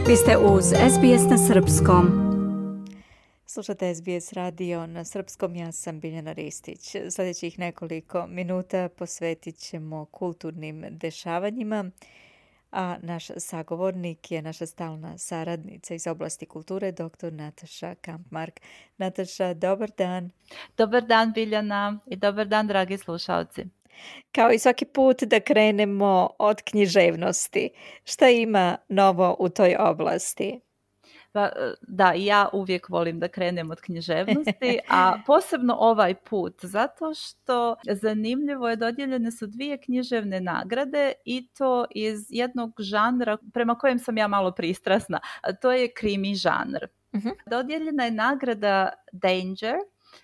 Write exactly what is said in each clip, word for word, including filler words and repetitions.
Vi ste uz S B S na srpskom. Slušate S B S radio na srpskom, ja sam Biljana Ristić. Sljedećih nekoliko minuta posvetit ćemo kulturnim dešavanjima, a naš sagovornik je naša stalna saradnica iz oblasti kulture, doktor Nataša Kampmark. Nataša, dobar dan. Dobar dan, Biljana, i dobar dan, dragi slušalci. Kao i svaki put da krenemo od književnosti. Šta ima novo u toj oblasti? Pa, da, ja uvijek volim da krenem od književnosti, a posebno ovaj put, zato što zanimljivo je, dodijeljene su dvije književne nagrade i to iz jednog žanra prema kojem sam ja malo pristrasna, a to je krimi žanr. Uh-huh. Dodijeljena je nagrada Danger,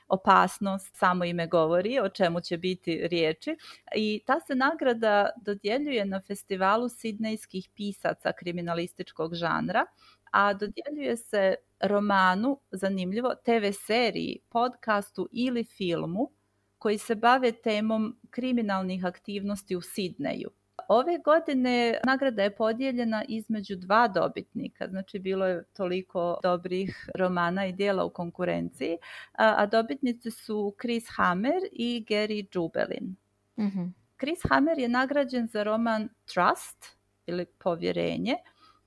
opasnost, samo ime govori o čemu će biti riječi, i ta se nagrada dodjeljuje na festivalu sidnejskih pisaca kriminalističkog žanra, a dodjeljuje se romanu, zanimljivo, te ve seriji, podcastu ili filmu koji se bave temom kriminalnih aktivnosti u Sidneju. Ove godine nagrada je podijeljena između dva dobitnika, znači bilo je toliko dobrih romana i dijela u konkurenciji, a, a dobitnici su Chris Hammer i Gary Jubelin. Mm-hmm. Chris Hammer je nagrađen za roman Trust ili Povjerenje,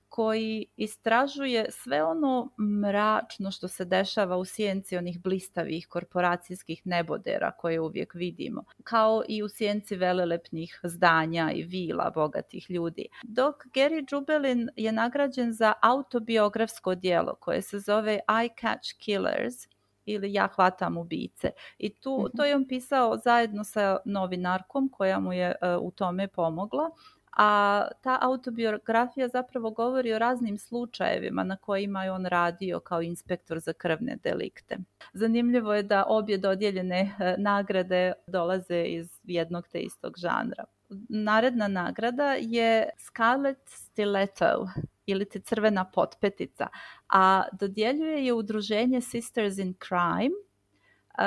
koji istražuje sve ono mračno što se dešava u sjenci onih blistavih korporacijskih nebodera koje uvijek vidimo, kao i u sjenci velelepnih zdanja i vila bogatih ljudi. Dok Gary Jubelin je nagrađen za autobiografsko djelo koje se zove I Catch Killers ili Ja hvatam ubice. I tu, mm-hmm. to je on pisao zajedno sa novinarkom koja mu je uh, u tome pomogla. A ta autobiografija zapravo govori o raznim slučajevima na kojima je on radio kao inspektor za krvne delikte. Zanimljivo je da obje dodijeljene nagrade dolaze iz jednog te istog žanra. Naredna nagrada je Scarlet Stiletto ili ti crvena potpetica, a dodjeljuje je udruženje Sisters in Crime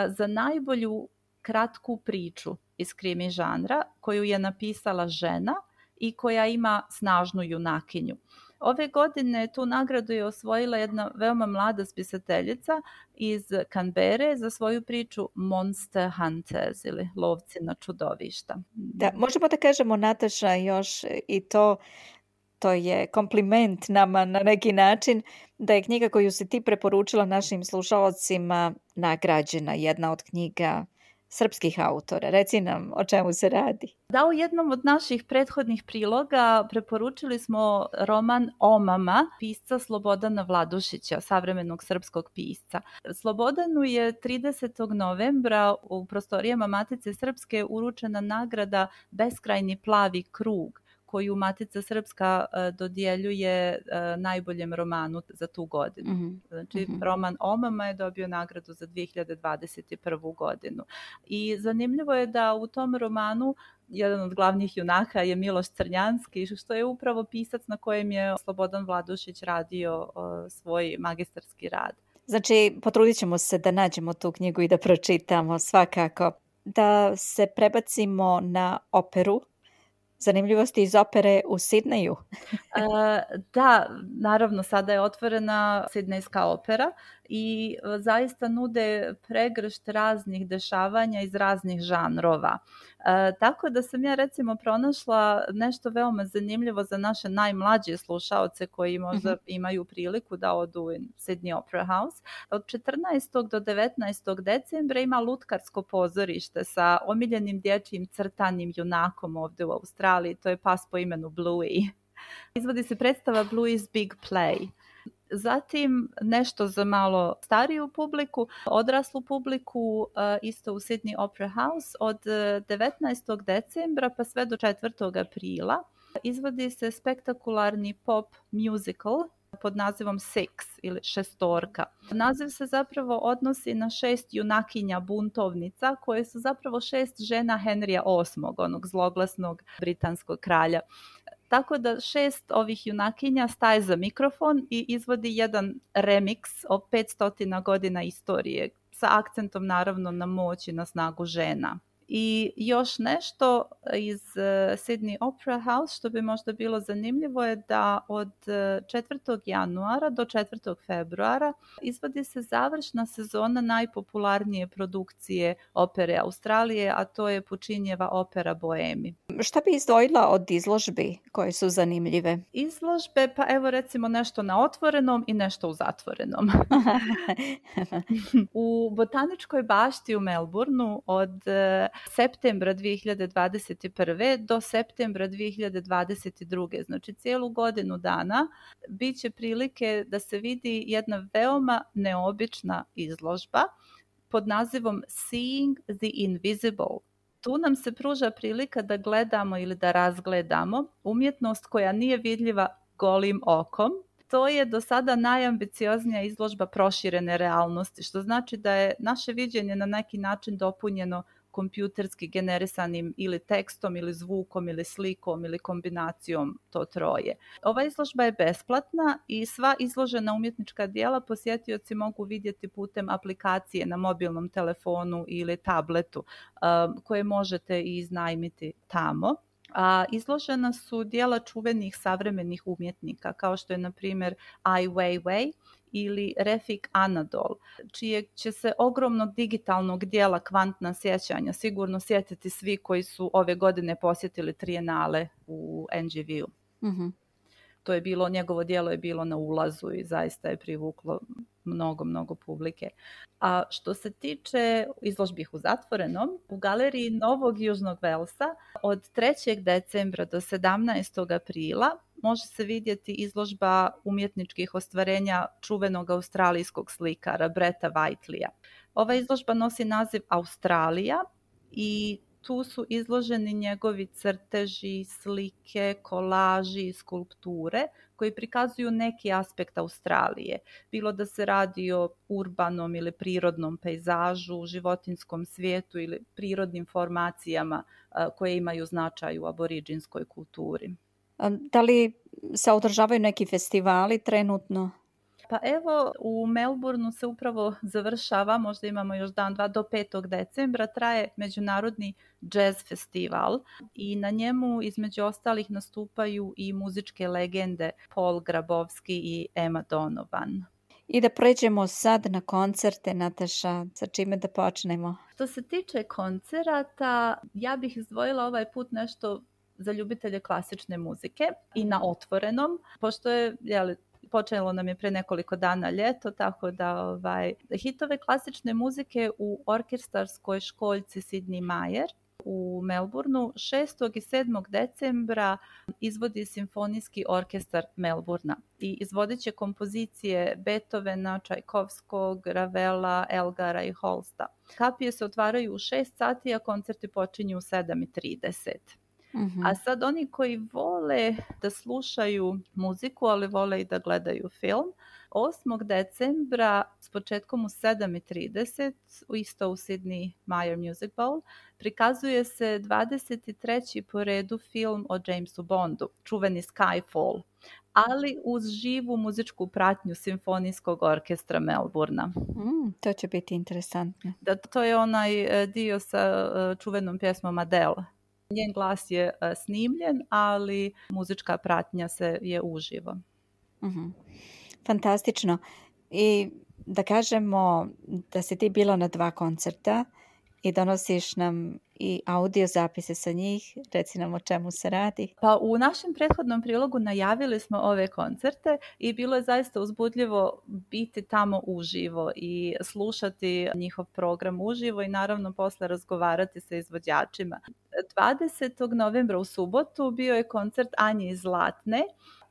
za najbolju kratku priču iz krimi žanra koju je napisala žena i koja ima snažnu junakinju. Ove godine tu nagradu je osvojila jedna veoma mlada spisateljica iz Canberre za svoju priču Monster Hunters ili lovci na čudovišta. Da, možemo da kažemo, Nataša, još i to, to je kompliment nama na neki način, da je knjiga koju si ti preporučila našim slušalcima nagrađena, jedna od knjiga srpskih autora. Reci nam o čemu se radi. Da, u jednom od naših prethodnih priloga preporučili smo roman Omama pisca Slobodana Vladušića, savremenog srpskog pisca. Slobodanu je tridesetog novembra u prostorijama Matice Srpske uručena nagrada Beskrajni plavi krug, koju Matica Srpska uh, dodjeljuje uh, najboljem romanu za tu godinu. Mm-hmm. Znači, mm-hmm. roman Omama je dobio nagradu za dvije hiljade dvadeset prvu godinu. I zanimljivo je da u tom romanu jedan od glavnih junaka je Miloš Crnjanski, što je upravo pisac na kojem je Slobodan Vladušić radio uh, svoj magistarski rad. Znači, potrudit ćemo se da nađemo tu knjigu i da pročitamo svakako. Da se prebacimo na operu. Zanimljivosti iz opere u Sidneju. uh, da, naravno, sada je otvorena Sidnejska opera i zaista nude pregršt raznih dešavanja iz raznih žanrova. Uh, tako da sam ja recimo pronašla nešto veoma zanimljivo za naše najmlađe slušaoce koji možda uh-huh. imaju priliku da odu u Sydney Opera House. Od četrnaestog do devetnaestog decembra ima lutkarsko pozorište sa omiljenim dječjim crtanim junakom ovdje u Australiji. To je pas po imenu Bluey. Izvodi se predstava Bluey's Big Play. Zatim nešto za malo stariju publiku, odraslu publiku, isto u Sydney Opera House od devetnaestog decembra pa sve do četvrtog aprila. Izvodi se spektakularni pop musical pod nazivom Six ili šestorka. Naziv se zapravo odnosi na šest junakinja buntovnica koje su zapravo šest žena Henrya osmog, onog zloglasnog britanskog kralja. Tako da šest ovih junakinja staje za mikrofon i izvodi jedan remix o petsto godina istorije sa akcentom naravno na moć i na snagu žena. I još nešto iz Sydney Opera House što bi možda bilo zanimljivo je da od četvrtog januara do četvrtog februara izvodi se završna sezona najpopularnije produkcije opere Australije, a to je Puccinieva opera Boemi. Šta bi izdvojila od izložbi koje su zanimljive? Izložbe, pa evo recimo nešto na otvorenom i nešto u zatvorenom. U Botaničkoj bašti u Melbourneu od septembra dvije hiljade dvadeset prve do septembra dvije hiljade dvadeset druge, znači cijelu godinu dana, bit će prilike da se vidi jedna veoma neobična izložba pod nazivom Seeing the Invisible. Tu nam se pruža prilika da gledamo ili da razgledamo umjetnost koja nije vidljiva golim okom. To je do sada najambicioznija izložba proširene realnosti, što znači da je naše viđenje na neki način dopunjeno kompjuterski generisanim ili tekstom ili zvukom ili slikom ili kombinacijom to troje. Ova izložba je besplatna i sva izložena umjetnička djela posjetioci mogu vidjeti putem aplikacije na mobilnom telefonu ili tabletu koje možete i iznajmiti tamo. A izložena su djela čuvenih savremenih umjetnika kao što je na primjer Ai Weiwei ili Refik Anadol, čijeg će se ogromnog digitalnog dijela Kvantna sjećanja sigurno sjetiti svi koji su ove godine posjetili trijenale u N G V-u. Mm-hmm. To je bilo, njegovo djelo je bilo na ulazu i zaista je privuklo mnogo, mnogo publike. A što se tiče izložbi u zatvorenom, u galeriji Novog Južnog Velsa od trećeg decembra do sedamnaestog aprila može se vidjeti izložba umjetničkih ostvarenja čuvenog australijskog slikara Bretta Whiteleya. Ova izložba nosi naziv Australija i tu su izloženi njegovi crteži, slike, kolaži, skulpture koji prikazuju neki aspekt Australije. Bilo da se radi o urbanom ili prirodnom pejzažu, životinjskom svijetu ili prirodnim formacijama koje imaju značaj u aboriđinskoj kulturi. Da li se održavaju neki festivali trenutno? Pa evo, u Melbourneu se upravo završava, možda imamo još dan, dva, do petog decembra, traje međunarodni jazz festival i na njemu između ostalih nastupaju i muzičke legende Paul Grabowski i Emma Donovan. I da pređemo sad na koncerte, Nataša, sa čime da počnemo? Što se tiče koncerata, ja bih izdvojila ovaj put nešto za ljubitelje klasične muzike i na otvorenom, pošto je, jeli, počelo nam je pre nekoliko dana ljeto, tako da ovaj, hitove klasične muzike u orkestarskoj školjci Sidney Myer u Melbourneu šestog i sedmog decembra izvodi Simfonijski orkestar Melbournea i izvodit će kompozicije Beethovena, Čajkovskog, Ravela, Elgara i Holsta. Kapije se otvaraju u šest sati, a koncerti počinju u sedam i trideset. Mm-hmm. A sad oni koji vole da slušaju muziku, ali vole i da gledaju film, osmog decembra s početkom u sedam i trideset, isto u Sydney Myer Music Bowl, prikazuje se dvadeset treći po redu film o Jamesu Bondu, čuveni Skyfall, ali uz živu muzičku pratnju Simfonijskog orkestra Melbournea. Mm, to će biti interesantno. Da, to je onaj dio sa čuvenom pjesmom Adele. Njen glas je snimljen, ali muzička pratnja se je uživo. Mm-hmm. Fantastično. I da kažemo da si ti bila na dva koncerta i donosiš nam i audio zapise sa njih. Reci nam o čemu se radi. Pa u našem prethodnom prilogu najavili smo ove koncerte i bilo je zaista uzbudljivo biti tamo uživo i slušati njihov program uživo i naravno posle razgovarati sa izvođačima. dvadesetog novembra u subotu bio je koncert Anje Zlatne,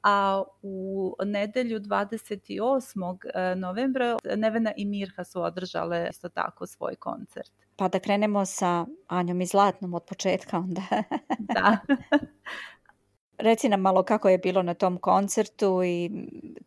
a u nedelju dvadeset osmog novembra Nevena i Mirha su održale isto tako svoj koncert. Pa da krenemo sa Anjom i Zlatnom od početka onda. Da. Reci nam malo kako je bilo na tom koncertu i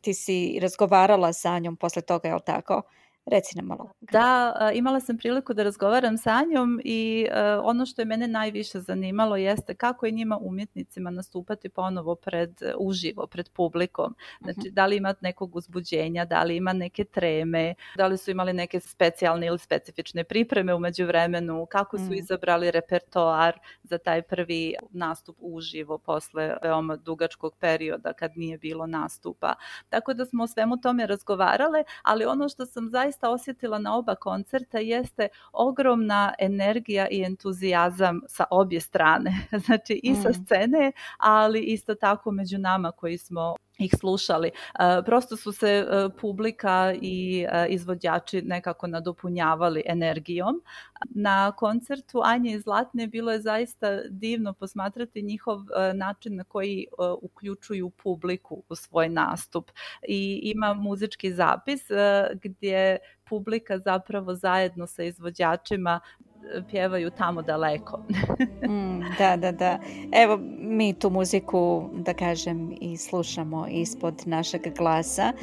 ti si razgovarala sa Anjom posle toga, je li tako? Reci nam malo. Da, imala sam priliku da razgovaram sa Anjom i uh, ono što je mene najviše zanimalo jeste kako je njima umjetnicima nastupati ponovo pred, uživo, pred publikom. Znači, uh-huh. da li ima nekog uzbuđenja, da li ima neke treme, da li su imali neke specijalne ili specifične pripreme u međuvremenu, kako su uh-huh. izabrali repertoar za taj prvi nastup uživo posle veoma dugačkog perioda kad nije bilo nastupa. Tako da smo o svemu tome razgovarale, ali ono što sam zaista osjetila na oba koncerta jeste ogromna energija i entuzijazam sa obje strane. Znači i sa scene, ali isto tako među nama koji smo ih slušali. Uh, prosto su se uh, publika i uh, izvođači nekako nadopunjavali energijom. Na koncertu Anje i Zlatne bilo je zaista divno posmatrati njihov uh, način na koji uh, uključuju publiku u svoj nastup. I ima muzički zapis uh, gdje publika zapravo zajedno sa izvođačima pjevaju Tamo daleko. mm, da, da, da. Evo, mi tu muziku, da kažem, i slušamo ispod našeg glasa.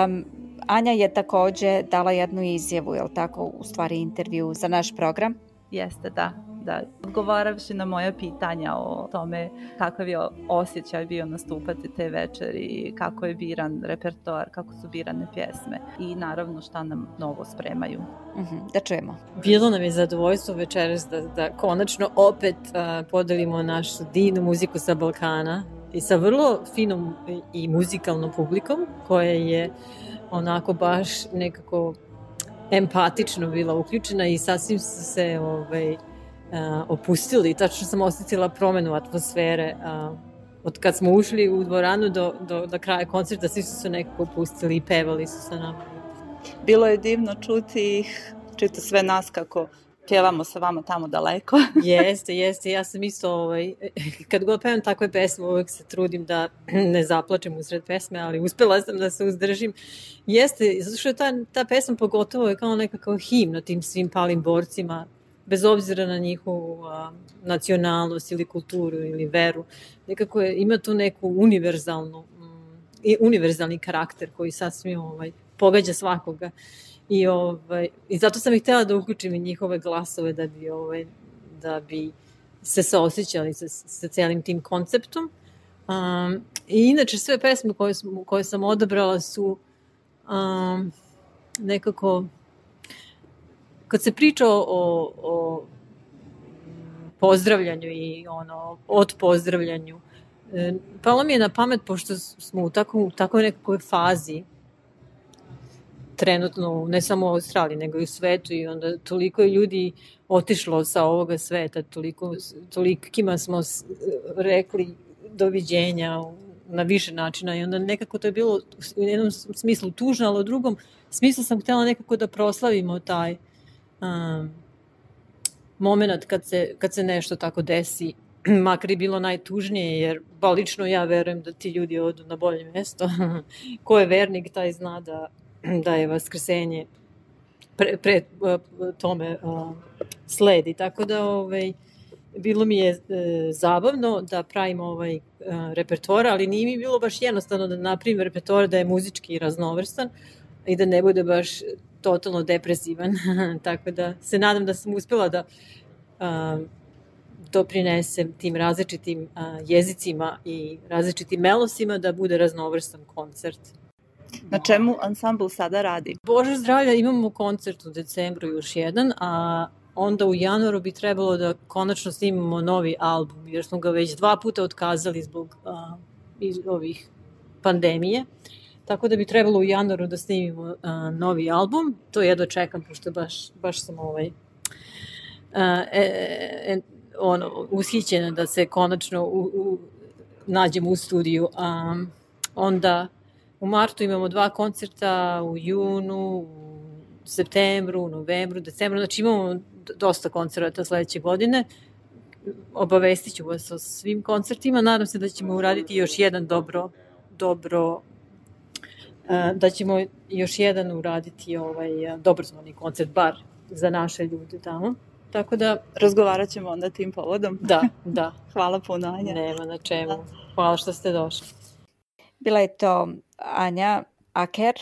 Um, Anja je također dala jednu izjavu, je li tako, u stvari intervju za naš program? Jeste, da. Da, odgovaravši na moja pitanja o tome kakav je osjećaj bio nastupati te večeri i kako je biran repertoar, kako su birane pjesme i naravno šta nam novo spremaju. Uh-huh, da čujemo. Bilo nam je zadovoljstvo večeras da, da konačno opet uh, podelimo našu divnu muziku sa Balkana i sa vrlo finom i muzikalnom publikom koja je onako baš nekako empatično bila uključena i sasvim se ovaj, Uh, opustili. Tačno sam osjetila promjenu atmosfere uh, od kad smo ušli u dvoranu do, do, do kraja koncerta, svi su se nekako opustili i pevali su sa nama. Bilo je divno čuti ih, čuti sve nas kako pjevamo sa vama Tamo daleko. Jeste, jeste. Ja sam isto, ovaj, kad god pevam takve pesme, uvijek se trudim da ne zaplačem usred pesme, ali uspjela sam da se uzdržim. Jeste, zato što je ta, ta pesma pogotovo je kao nekakav himna tim svim palim borcima, bez obzira na njihovu a, nacionalnost ili kulturu ili veru. Nekako je, ima tu neku univerzalnu, mm, i univerzalni karakter koji sasvim ovaj, pogađa svakoga. I, ovaj, I zato sam ih htjela da uključim i njihove glasove da bi, ovaj, da bi se saosjećali sa, sa cijelim tim konceptom. Um, I inače sve pesme koje, koje sam odabrala su um, nekako... Kad se priča o, o pozdravljanju i ono, od pozdravljanju, palo mi je na pamet, pošto smo u takvoj tako nekakvoj fazi, trenutno, ne samo u Australiji, nego i u svetu, i onda toliko je ljudi otišlo sa ovoga sveta, toliko, tolikima smo rekli doviđenja na više načina, i onda nekako to je bilo u jednom smislu tužno, ali u drugom smislu sam htjela nekako da proslavimo taj Um, moment kad se, kad se nešto tako desi, makar i bilo najtužnije, jer ba lično ja verujem da ti ljudi odu na bolje mjesto. Ko je vernik, taj zna da, da je vaskrsenje pre, pre tome uh, sledi. Tako da ovaj, bilo mi je uh, zabavno da pravim ovaj uh, repertoar, ali nije mi bilo baš jednostavno da napravim repertoar da je muzički raznovrstan i da ne bude baš totalno depresivan. Tako da se nadam da sam uspjela da uh, doprinesem tim različitim uh, jezicima i različitim melosima da bude raznovrstan koncert. Na čemu ansambl sada radi? Bože zdravlja, imamo koncert u decembru još jedan, a onda u januaru bi trebalo da konačno snimamo novi album, jer smo ga već dva puta otkazali zbog uh, iz ovih pandemije. Tako da bi trebalo u januaru da snimimo uh, novi album. To jedva čekam, pošto baš, baš sam ovaj, uh, e, e, ono, ushićena da se konačno u, u, nađemo u studiju. Um, onda u martu imamo dva koncerta, u junu, u septembru, u novembru, decembru. Znači imamo dosta koncerta sledeće godine. Obavestit ću vas o svim koncertima. Nadam se da ćemo uraditi još jedan dobro, dobro da ćemo još jedan uraditi ovaj dobrotvorni koncert, bar za naše ljude tamo. Tako da razgovarat ćemo onda tim povodom. Da, da. Hvala puno, Anja. Nema na čemu. Hvala što ste došli. Bila je to Anja Aker,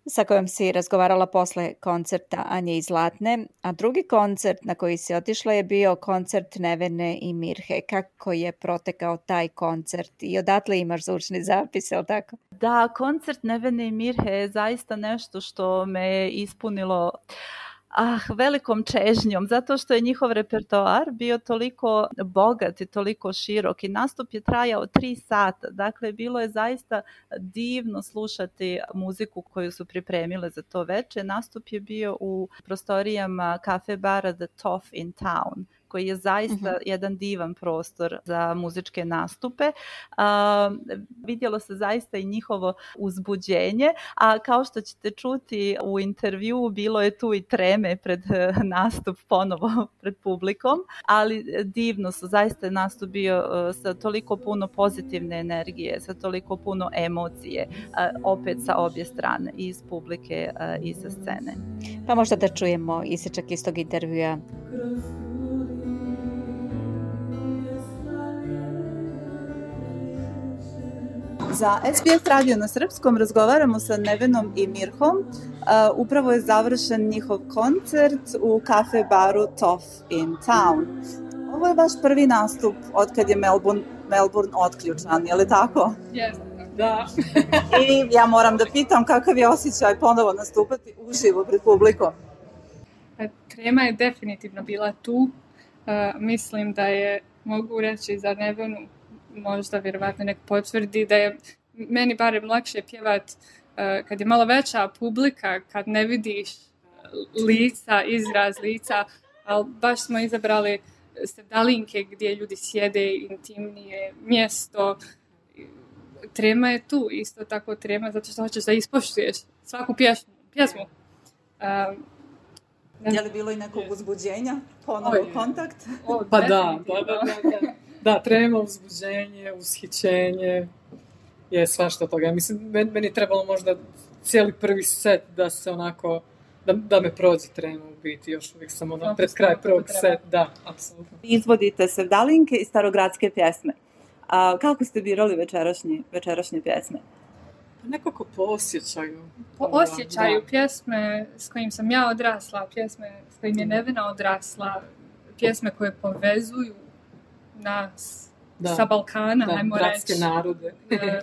sa kojom si razgovarala posle koncerta Anje i Zlatne, a drugi koncert na koji si otišla je bio koncert Nevene i Mirhe. Kako je protekao taj koncert i odatle imaš zvučni zapis, je li tako? Da, koncert Nevene i Mirhe je zaista nešto što me je ispunilo Ah, velikom čežnjom, zato što je njihov repertoar bio toliko bogat i toliko širok i nastup je trajao tri sata. Dakle, bilo je zaista divno slušati muziku koju su pripremile za to veče. Nastup je bio u prostorijama kafe bara The Toff in Town, koji je zaista uh-huh. jedan divan prostor za muzičke nastupe. A, vidjelo se zaista i njihovo uzbuđenje, a kao što ćete čuti u intervjuu, bilo je tu i treme pred nastup ponovo pred publikom, ali divno su, zaista je nastup bio sa toliko puno pozitivne energije, sa toliko puno emocije, opet sa obje strane, i iz publike i sa scene. Pa možda da čujemo isječak iz tog intervjua. Za S B S radio na srpskom razgovaramo sa Nevenom i Mirhom. Uh, upravo je završen njihov koncert u kafe baru Toff in Town. Ovo je vaš prvi nastup od kad je Melbourne, Melbourne otključan, je li tako? Jeste, da. I ja moram da pitam kakav je osjećaj ponovo nastupati uživo pred publikom? Trema je definitivno bila tu. Uh, mislim da je, mogu reći za Nevenu, možda vjerovatno nek potvrdi da je meni barem lakše pjevat uh, kad je malo veća publika, kad ne vidiš lica, izraz lica, ali baš smo izabrali sevdalinke gdje ljudi sjede, intimnije mjesto. Trema je tu, isto tako trema, zato što hoćeš da ispoštuješ svaku pjesmu. pjesmu. Uh, je li bilo i nekog uzbuđenja, ponovo kontakt? O, pa da, da, da, da. Da, trema, uzbuđenje, ushićenje, je svašta toga. Mislim, meni, meni je trebalo možda cijeli prvi set da se onako, da, da me prođe trema u biti, još uvijek sam ono, pred kraj prvog set, da, apsolutno. Izvodite sevdalinke i starogradske pjesme. A kako ste birali večerašnje, večerašnje pjesme? Nekako po osjećaju. Po osjećaju, da. Pjesme s kojim sam ja odrasla, pjesme s kojim je Nevena odrasla, pjesme koje povezuju nas da, sa Balkana, da, ajmo reći. bratske narode. e,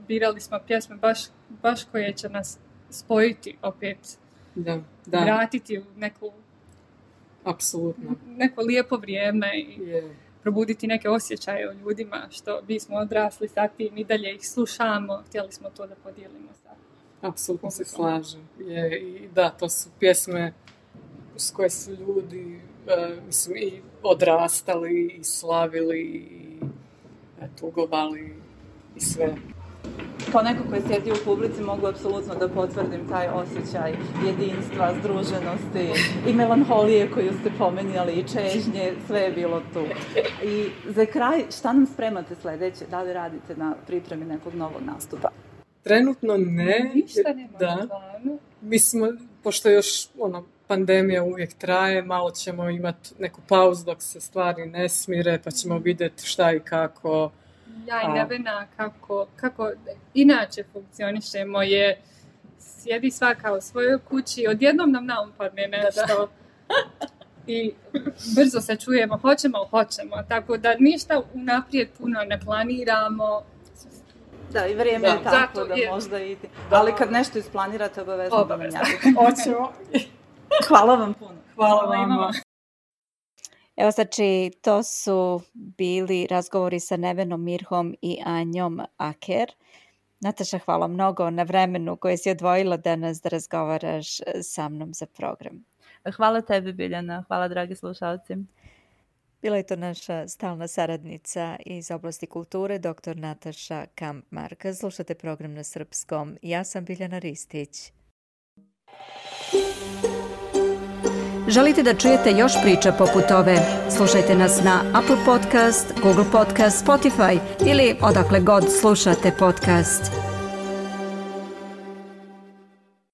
birali smo pjesme baš, baš koje će nas spojiti opet, da, da. vratiti u neku, apsolutno, neko lijepo vrijeme i yeah. probuditi neke osjećaje o ljudima, što mi smo odrasli sa tim i dalje ih slušamo, htjeli smo to da podijelimo sa. Apsolutno se slažem. Je, i da, to su pjesme s koje su ljudi Uh, mislim, i odrastali, i slavili, i tugovali, i sve. Kao neko koji sjedi u publici mogu apsolutno da potvrdim taj osjećaj jedinstva, združenosti i melanholije koju ste pomenjali, i čežnje, sve je bilo tu. I za kraj, šta nam spremate sljedeće? Da li radite na pripremi nekog novog nastupa? Trenutno ne. Ništa nema da. na planu. Mi smo, pošto još ono, pandemija uvijek traje, malo ćemo imati neku pauzu dok se stvari ne smire, pa ćemo vidjeti šta i kako. Ja i Nevena, kako, kako inače funkcionišemo je, sjedi svaka u svojoj kući, odjednom nam naumpadne nešto i brzo se čujemo, hoćemo, hoćemo, tako da ništa unaprijed puno ne planiramo. Da, i vrijeme da. je tako zato da je... možda ide. Da. Ali kad nešto isplanirate, obavezno, obavezno. da nam javite. Hoćemo. Hvala vam puno. Hvala vam. Evo, znači, to su bili razgovori sa Nevenom, Mirhom i Anjom Aker. Nataša, hvala mnogo na vremenu koje si odvojila danas da razgovaraš sa mnom za program. Hvala tebi, Biljana. Hvala, dragi slušalci. Bila je to naša stalna saradnica iz oblasti kulture, doktor Nataša Kampmark. Slušate program na srpskom. Ja sam Biljana Ristić. Želite da čujete još priča poput ove? Slušajte nas na Apple Podcast, Google Podcast, Spotify ili odakle god slušate podcast.